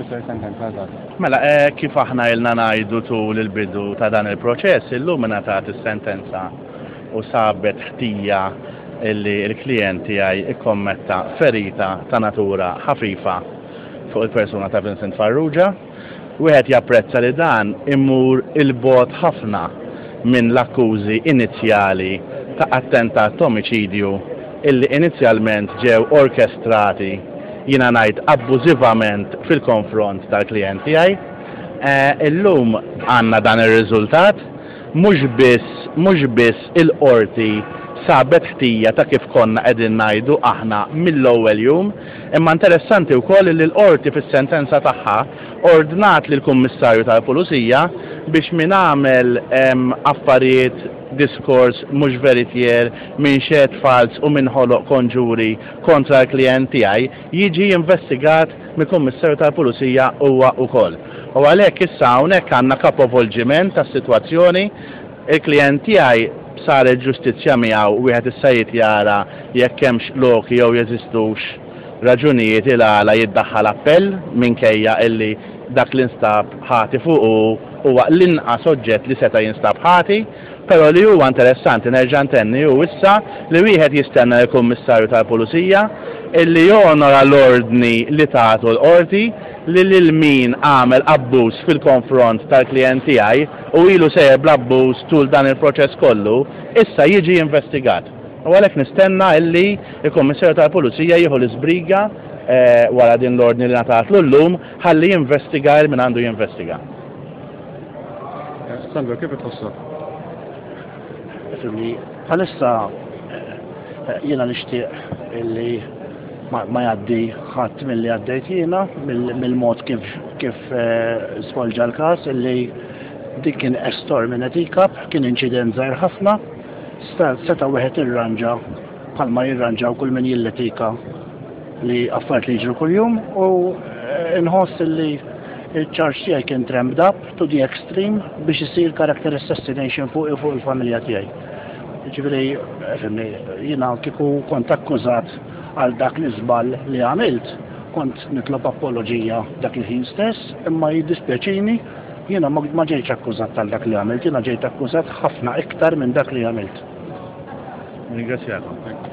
tfisser sentenza eżatt? Mela, eh, kif aħna ilna ngħidu tul il-bidu ta' dan il-proċess, illum ingħatat is-sentenza u sabet ħtija illi l-klijent tiegħi ikkommetta ferita ta' natura ħafifa fuq il-persuna ta' Vincent Farrugia. Wieħed japprezza li dan imur 'il bogħod ħafna minn l-akkużi inizjali ta' attentat t'omiċidju illi inizjalment ġew orkestrati, jiena ngħid abbużivament fil-konfront tal-klijent tiegħi. Illum għandna dan ir-riżultat. Mhux biss, mhux biss il-Qorti sabet ħtija ta' kif konna qegħdin ngħidu aħna mill-ewwel jum, imma interessanti wkoll illi l-Qorti fis-sentenza tagħha ordnat lill-Kummissarju tal-Pulizija biex min għamel affarijiet, diskors mhux veritier, min xehed falz u min ħoloq konġuri kontra l-klijent tiegħi jiġi investigat mill-Kummissarju tal-Pulizija huwa wkoll. U għalhekk issa hawnhekk għandna kapovolġiment tas-sitwazzjoni. Il-klijent tiegħi saret ġustizzja miegħu, wieħed issa jrid jara jekk hemmx loki jew jeżistux raġunijiet il-għala jiddaħħal appell minkejja illi dak li nstab ħati fuqu huwa l-inqas oġġett li seta' jinstab ħati. Però li huwa interessanti nerġa' ntenni hu issa li wieħed jistenna lill-Kummissarju tal-Pulizija illi jonora l-ordni li tatu l-Qorti li lil min għamel abbuż fil-konfront tal-klijent tiegħi u ilu sejjer bl-abbuż tul dan il-proċess kollu, issa jiġi investigat. U għalhekk nistenna illi l-Kummissarju tal-Pulizija jieħu l-iżbriga wara din l-ordni li ngħatatlu llum ħalli jinvestiga lil min għandu jinvestiga. Sandro, kif itħossok? Ifhimni, bħalissa eh, jiena nixtieq illi ma jgħaddi ħadd milli għaddejt jiena mill-mod kif kif eh, svolġa l-każ illi dik kien a storm in a teacup, kien inċident żgħir ħafna, seta' wieħed irranġa bħalma jirranġaw kull min jilletika li affarijiet li jiġru kuljum u eh, nħoss li il-charge tiegħi kien tramped up to the extreme biex isir character assassination fuq fuq il-familja tiegħi. Ġifieri, fhimni, jiena kieku kont akkużat għal dak l-iżball li għamilt, kont nitlob apoloġija dak il-ħin stess, imma jiddispjaċini jiena ma ġejtx akkużat tal dak li għamilt, jiena ġejt akkużat ħafna iktar minn dak li għamilt. Ringrazzjakom.